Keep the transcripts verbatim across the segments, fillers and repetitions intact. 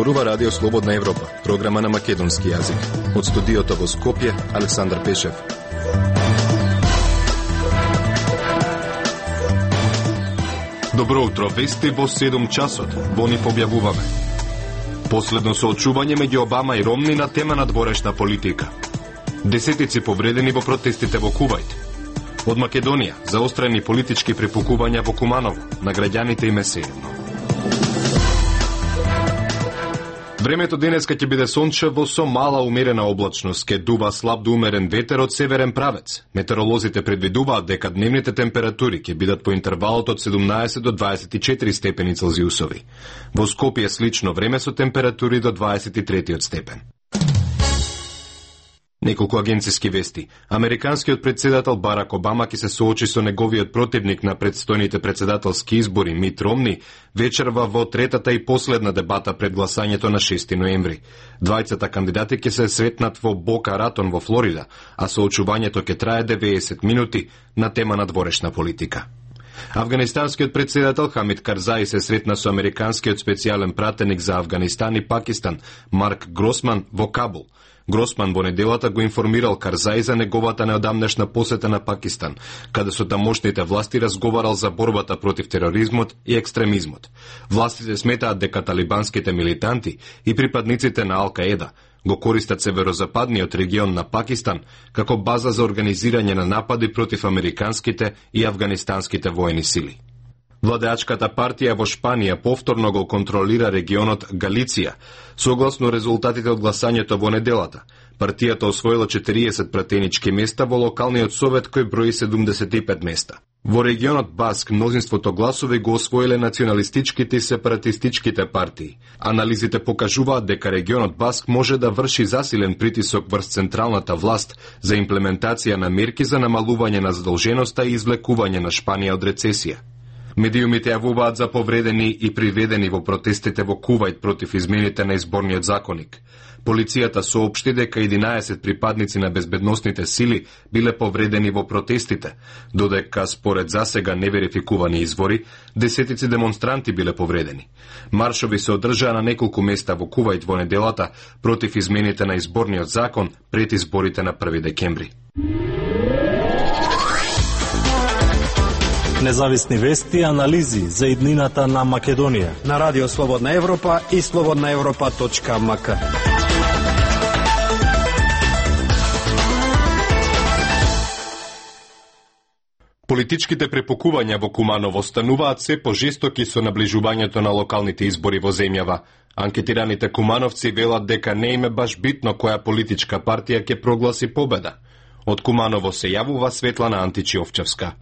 Зборува Радио Слободна Европа, програма на македонски јазик. Од студиото во Скопје, Александар Пешев. Добро утро, вести во седум часот. Во нив објавуваме. Последно соочување меѓу Обама и Ромни на тема на дворешна политика. Десетици повредени во протестите во Кувајт. Од Македонија, заострени политички препукувања во Куманово, на граѓаните им е седно. Времето денеска ќе биде сончево со мала умерена облачност, ке дува слаб до умерен ветер од северен правец. Метеоролозите предвидуваат дека дневните температури ќе бидат по интервалот од седумнаесет до дваесет и четири степени Целзиусови. Во Скопје слично време со температури до дваесет и три степен. Неколку агенциски вести. Американскиот председател Барак Обама ќе се соочи со неговиот противник на предстојните председателски избори Мит Ромни вечерва во третата и последна дебата пред гласањето на шести ноември. Двајцата кандидати ќе се сретнат во Бока Ратон во Флорида, а соочувањето ќе трае деветдесет минути на тема на дворешна политика. Афганистанскиот председател Хамид Карзаи се сретна со американскиот специјален пратеник за Афганистан и Пакистан Марк Гросман во Кабул. Гросман во неделата го информирал Карзаи за неговата неодамнешна посета на Пакистан, каде со тамошните власти разговарал за борбата против тероризмот и екстремизмот. Властите сметаат дека талибанските милитанти и припадниците на Ал-Каеда го користат северозападниот регион на Пакистан како база за организирање на напади против американските и афганистанските воени сили. Владеачката партија во Шпанија повторно го контролира регионот Галиција. Согласно резултатите од гласањето во неделата, партијата освоила четириесет пратенички места во локалниот совет кој брои седумдесет и пет места. Во регионот Баск мнозинството гласови го освоиле националистичките и сепаратистичките партии. Анализите покажуваат дека регионот Баск може да врши засилен притисок врз централната власт за имплементација на мерки за намалување на задолженоста и извлекување на Шпанија од рецесија. Медиумите јавуваат за повредени и приведени во протестите во Кувајт против измените на изборниот законник. Полицијата соопшти дека единаесет припадници на безбедносните сили биле повредени во протестите, додека според засега неверификувани извори, десетици демонстранти биле повредени. Маршови се одржаа на неколку места во Кувајт во неделата против измените на изборниот закон пред изборите на први декември. Независни вести и анализи за иднината на Македонија на Радио Слободна Европа и слободна европа точка ем ка. Политичките препукувања во Куманово стануваат се пожестоки со наближувањето на локалните избори во земјава. Анкетираните кумановци велат дека не им е баш битно која политичка партија ќе прогласи победа. Од Куманово се јавува Светлана Античиовчевска.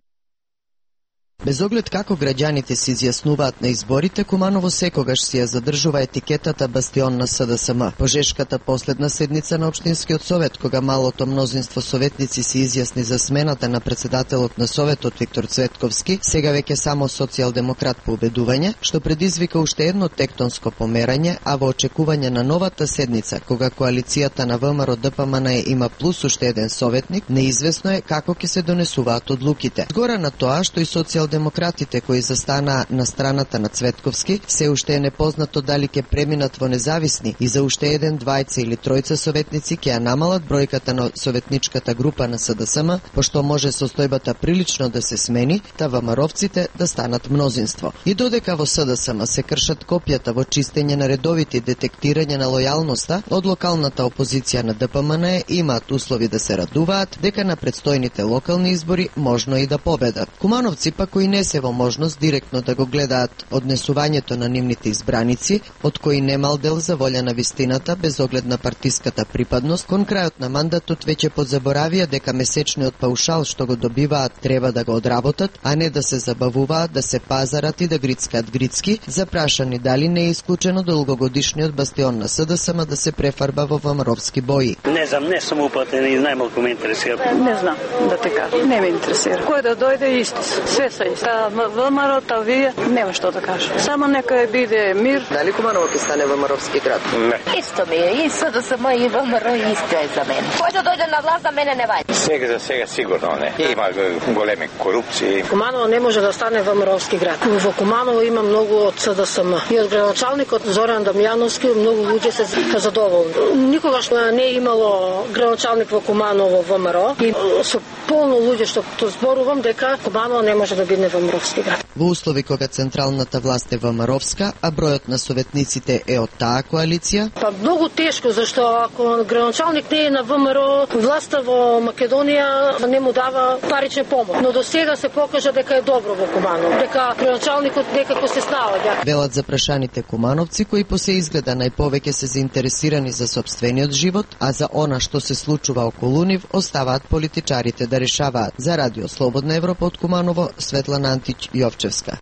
Без оглед како граѓаните се изјаснуваат на изборите, Куманово секогаш си ја задржува етикетата бастион на С Д С М. Пожешката последна седница на Општинскиот совет, кога малото мнозинство советници се изјасни за смената на председателот на советот Виктор Цветковски, сега веќе само социјалдемократ по убедување, што предизвика уште едно тектонско померање, а во очекување на новата седница, кога коалицијата на В М Р Д П М Н има плюс уште еден советник, неизвестно е како ќе се донесуваат одлуките. Згора на тоа што и социјал демократите кои застанаа на страната на Цветковски, се уште е непознато дали ќе преминат во независни и за уште еден, двајца или тројца советници ќе ја намалат бројката на советничката група на С Д С М, пошто може состојбата прилично да се смени, та ВМРО-вците да станат мнозинство. И додека во С Д С М се кршат копјата во чистење на редовите детектирање на лојалноста, од локалната опозиција на Д П М Н имаат услови да се радуваат дека на предстојните локални избори можно и да победат. Кумановци пак кои не се во можност директно да го гледаат однесувањето на нивните избраници, од кои немал дел за волја на вистината без оглед на партиската припадност, кон крајот на мандатот веќе подзаборавија дека месечниот паушал што го добиваат треба да го одработат, а не да се забавуваат, да се пазарат и да грицкаат грицки, запрашани дали не е исклучено долгогодишниот бастион на С Д С М да се префарба во ВМРО-вски бои. Не знам, не сум упатен и најмалку ме интересира. Не знам да те кажам, не ме интересира. Кој да дојде исти, све се прави. Са ВМРО-та вие нема што да кажам. Само нека биде мир. Дали Куманово ќе стане ВМРО-вски град? Не. Исто ми е, и СДСМ и ВМРО исто е за мене. Кој да дојде на власт за мене не ваѓа. Сега за сега сигурно не. Има големи корупции. Куманово не може да стане ВМРО-вски град. Во Куманово има многу од СДСМ. И од градоначалникот Зоран Дамјановски многу луѓе се задоволни. Никогаш не е имало градоначалник во Куманово ВМРО и со полно луѓе што зборувам дека Куманово не може да биде ВМРО-вски град. Во услови кога централната власт е ВМРО-вска, а бројот на советниците е од таа коалиција? Па многу тешко, зашто ако градоначалник не е на ВМРО, власта во Македонија не му дава парична помош. Но до сега се покажа дека е добро во Куманово, дека градоначалникот некако се снаоѓа. Велат запрашаните кумановци кои по се изгледа најповеќе се заинтересирани за сопствениот живот, а за она што се случува околу нив оставаат политичарите да решаваат. За Радио Слободна Европа од Куманово, Светлана Антич Јовчевска.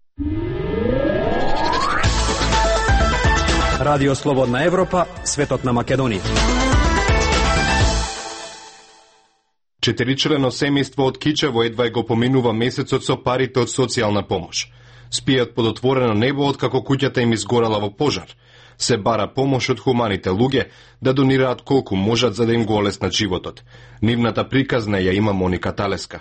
Радио Слободна Европа, светот на Македонија. Четиричлено семејство од Кичево едва го поминува месецот со парите од социјална помош. Спијат под отворено небо откако куќата им изгорела во пожар. Се бара помош од хуманите луѓе да донираат колку можат за да им го олеснат животот. Нивната приказна ја има Моника Талеска.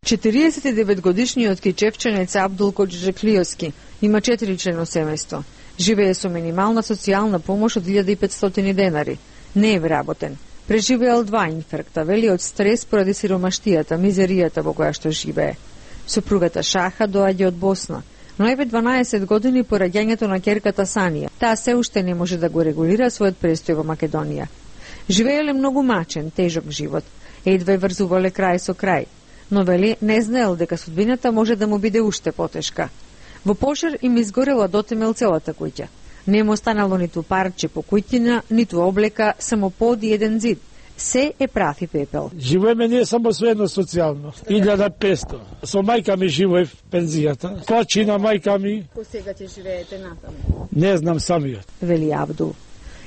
четириесет и девет годишниот кичевчанец Абдул Коджеклиоски има четиричлено семејство. Живее со минимална социјална помош од илјада и петстотини денари. Не е вработен. Преживеал два инфаркта, вели од стрес поради сиромаштијата, мизеријата во која што живее. Сопругата Шаха доаѓа од Босна, но еве дванаесет години по раѓањето на ќерката Санија. Таа се уште не може да го регулира својот престој во Македонија. Живееле многу мачен, тежок живот. Едва врзувале крај со крај. Но вели не знаел дека судбината може да му биде уште потешка. Во пожар им изгорела дотемел целата куќа. Не му останало ниту парче по куќина, ниту облека, само под и еден зид. Се е прав и пепел. Живееме ние само со едно социјално. илјада и петстотини. Со мајка ми живеев пензијата. Почина мајка ми. По сега ќе живеете натаму? Не знам самиот. Вели Абдул.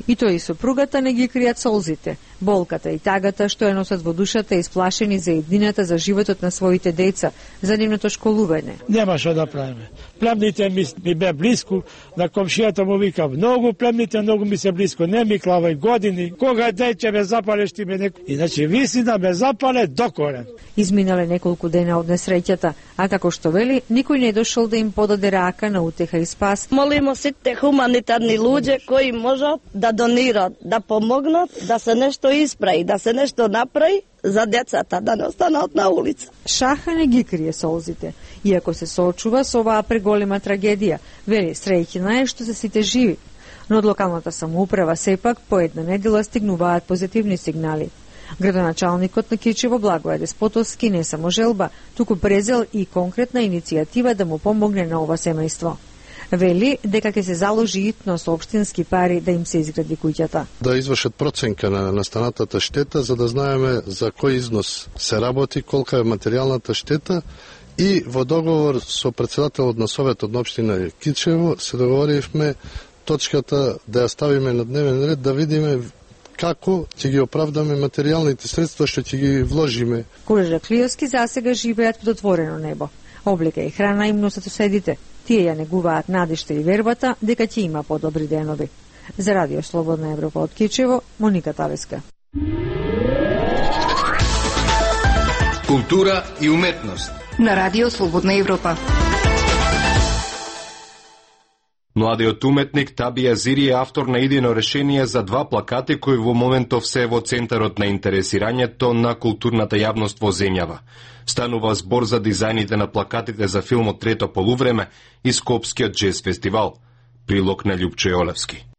И тој и сопругата не ги кријат солзите, болката и тагата што ја носат во душата исплашени за еднината за животот на своите деца, за нивното школување. Нема што да правиме. Племните ми, ми бе блиску, на комшијата му вика многу племните, многу ми се блиску, не ми клавај години, кога деќе ме запалеш ти ме неко. Иначе виси да ме запале до корен. Изминале неколку дена од несреќата, а како што вели, никој не дошол да им подаде рака на утеха и спас. Молимо сите хуманитарни луѓе кои можат да донират, да помогнат, да се нешто исправи, да се нешто направи за децата, да не останат на улица. Шаха не ги крие солзите, иако се соочува со оваа преголема трагедија. Вели, среќна е што се сите живи. Но од локалната самоуправа сепак по една недела стигнуваат позитивни сигнали. Градоначалникот на Кичево Благоје Деспотовски не само желба, туку презел и конкретна иницијатива да му помогне на ова семејство. Вели дека ќе се заложи итно со општински пари да им се изгради куќата. Да извршат проценка на настанатата штета за да знаеме за кој износ се работи, колка е материјалната штета и во договор со претседателот на Советот на општина Кичево се договоривме точката да ја ставиме на дневен ред да видиме како ќе ги оправдаме материјалните средства што ќе ги вложиме. Коджеклиоски засега живеат под отворено небо. Облека и храна им носат соседите. Тие ја негуваат надежта и вербата дека ќе има подобри денови. За Радио Слободна Европа од Кичево, Моника Талеска. Култура и уметност на Радио Слободна Европа. Младиот уметник Таби Азири е автор на идејно решение за два плакати кои во моментов се во центарот на интересирањето на културната јавност во земјава. Станува збор за дизајните на плакатите за филмот Трето полувреме и Скопскиот джез фестивал. Прилог на Љупчо Јолевски.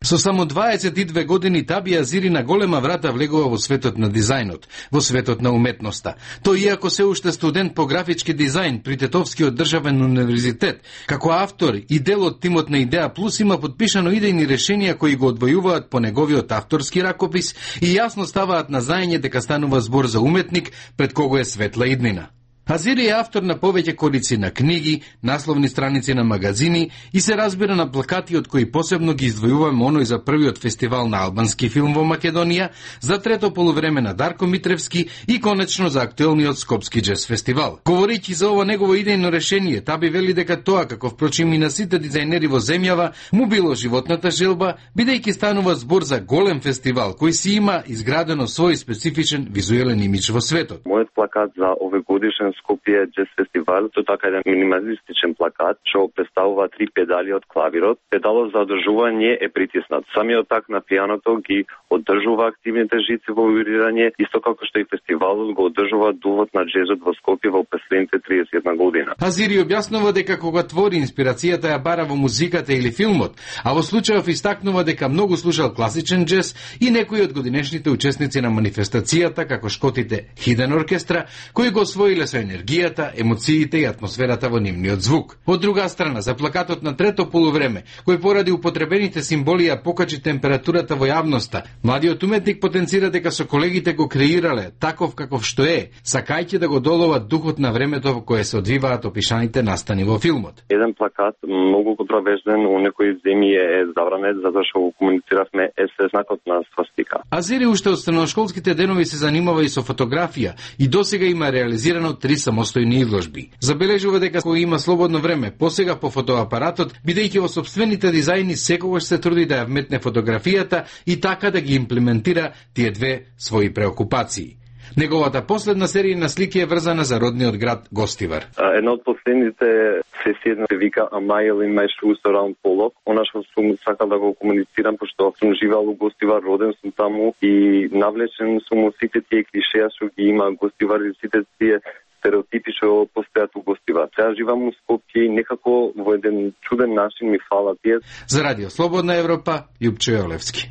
Со само дваесет и две години Таби Азири на голема врата влегува во светот на дизајнот, во светот на уметноста. Тој иако се уште студент по графички дизајн при Тетовскиот државен универзитет, како автор и дел од тимот на Идеја Плюс има подпишано идејни решенија кои го одвојуваат по неговиот авторски ракопис и јасно ставаат на знаење дека станува збор за уметник пред кого е светла иднина. Азири е автор на повеќе корици на книги, насловни страници на магазини и се разбира на плакати од кои посебно ги издвојуваме оној за првиот фестивал на албански филм во Македонија, за трето полувреме на Дарко Митревски и конечно за актуелниот Скопски джез фестивал. Говорејќи за ова негово идејно решение, Таби вели дека тоа, како впрочем и на сите дизајнери во земјава, му било животната желба, бидејќи станува збор за голем фестивал кој си има изградено свој специфичен визуелен имидж во светот. Мојот плакат за овогодишен Скопје джез фестивал, тоа така еден минималистичен плакат, што представува три педали од клавирот. Педалот за одржување е притиснат. Самиот так на пијаното ги одржува активните жици во вибрирање, исто како што и фестивалот го одржува дувот на джезот во Скопје во последните триесет и една година. Азири објаснува дека кога твори инспирацијата ја бара во музиката или филмот, а во случајов истакнува дека многу слушал класичен джез и некои од годинешните учесници на манифестацијата, како шкотите Хиден оркестра, кои го освоиле со енергијата, емоциите и атмосферата во нивниот звук. Од друга страна, за плакатот на трето полувреме, кој поради употребените символи ја покачи температурата во јавноста, младиот уметник потенцира дека со колегите го креирале таков каков што е, сакајќи да го доловат духот на времето во кое се одвиваат опишаните настани во филмот. Еден плакат многу контровержен у некои земји е забранет затоа што го комунициравме е се знакот на свастика. Азири уште од средношколските денови се занимава и со фотографија и досега има реализирано три самостојни изложби. Забележува дека кога има слободно време, посега по фотоапаратот, бидејќи во сопствените дизајни секогаш се труди да ја вметне фотографијата и така да ги имплементира тие две своји преокупации. Неговата последна серија на слики е врзана за родниот град Гостивар. Една од последните сесии се вика A Mile in My Shoes Around Pollock. Она што сум сакал да го комуницирам, пошто сум живеал во Гостивар, роден сум таму и навлечен сум од сите тие клишеа што ги има Гостивар и сите тие стереотипи што постојат во Гостивар. Сега живам во Скопје и некако во еден чуден начин ми фала тие. За Радио Слободна Европа, Јупчо Јолевски.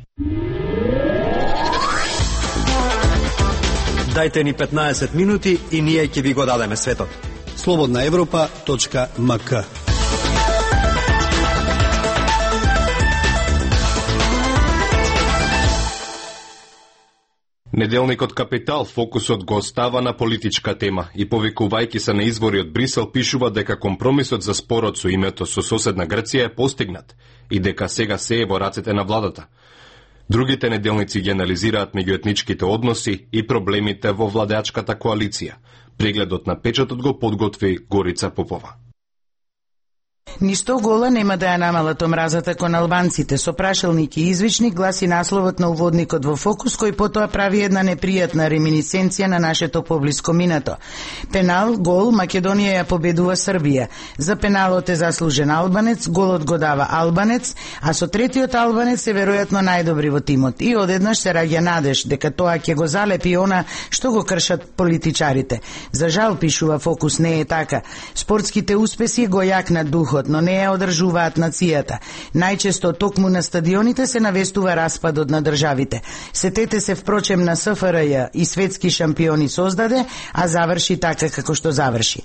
Дајте ни петнаесет минути и ние ќе ви го дадеме светот. слободна европа точка ем ка. Неделникот Капитал фокусот го остава на политичка тема и повикувајќи се на избори од Брисел пишува дека компромисот за спорот со името со соседна Грција е постигнат и дека сега се е во рацете на владата. Другите неделници ги анализираат меѓуетничките односи и проблемите во владеачката коалиција. Прегледот на печатот го подготви Горица Попова. Ништо гола нема да ја намалат омразата кон албанците, со прашалник и извичник гласи насловот на уводникот во Фокус, кој потоа прави една непријатна реминисценција на нашето поблиско минато. Пенал, гол, Македонија ја победува Србија. За пеналот е заслужен албанец, голот го дава албанец, а со третиот албанец е веројатно најдобри во тимот. И одеднаш се раѓа надеж дека тоа ќе го залепи она што го кршат политичарите. За жал, пишува Фокус, не е така. Спортските успеси го јакнат духот, но не ја одржуваат нацијата. Најчесто токму на стадионите се навестува распадот на државите. Сетете се впрочем на С Ф Р Ј и светски шампиони создаде, а заврши така како што заврши.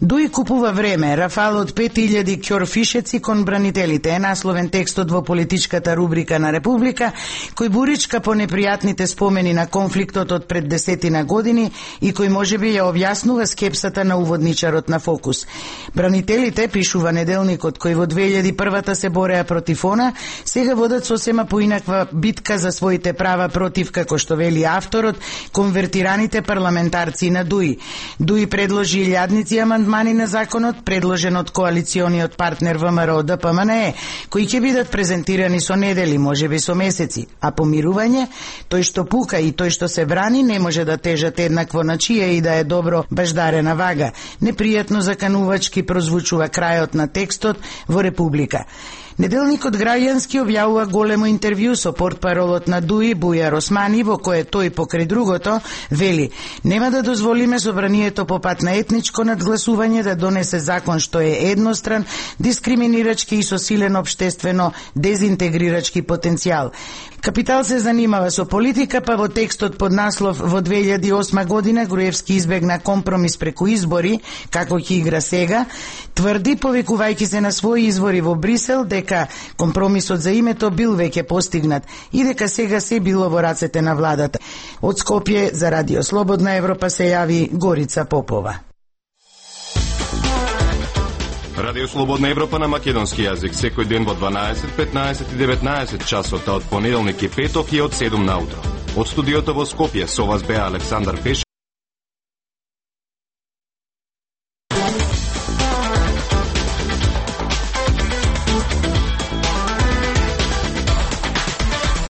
Дуи купува време, Рафал од пет илјади ќорфишеци кон бранителите е насловен текстот во политичката рубрика на Република, кој буричка по непријатните спомени на конфликтот од пред десетина години и кој можеби ја објаснува скепсата на уводничарот на Фокус. Бранителите, пишува неделникот, кој во две илјади и прва се бореа против она, сега водат сосема поинаква битка за своите права против, како што вели авторот, конвертираните парламентарци на Дуи. Дуи предложи илјадници амандмани на законот, предложен од коалициониот партнер Вэ М Р Д П М Н Е, кои ќе бидат презентирани со недели, можеби со месеци, а помирување, тој што пука и тој што се брани не може да тежат еднакво на чија и да е добро баждарена вага. Непријатно заканувачки прозвучува крајот на текстот во Република. Неделникот Граѓански објавува големо интервју со портпаролот на Дуи Бујар Османи, во кое тој покрај другото вели: нема да дозволиме собранието по пат на етничко надгласување да донесе закон што е едностран, дискриминирачки и со силен обштествено дезинтегрирачки потенцијал. Капитал се занимава со политика, па во текстот под наслов во две илјади и осма година Груевски избегна компромис преку избори, како ќе игра сега, тврди, повикувајќи се на своји извори во Брисел, дека компромисот за името бил веќе постигнат и дека сега се било во рацете на владата. Од Скопје за Радио Слободна Европа се јави Горица Попова. Радио Слободна Европа на македонски јазик секој ден во дванаесет, петнаесет и деветнаесет часот од понеделник и петок и од седум наутро. Од студиото во Скопје со вас беа Александар Пешев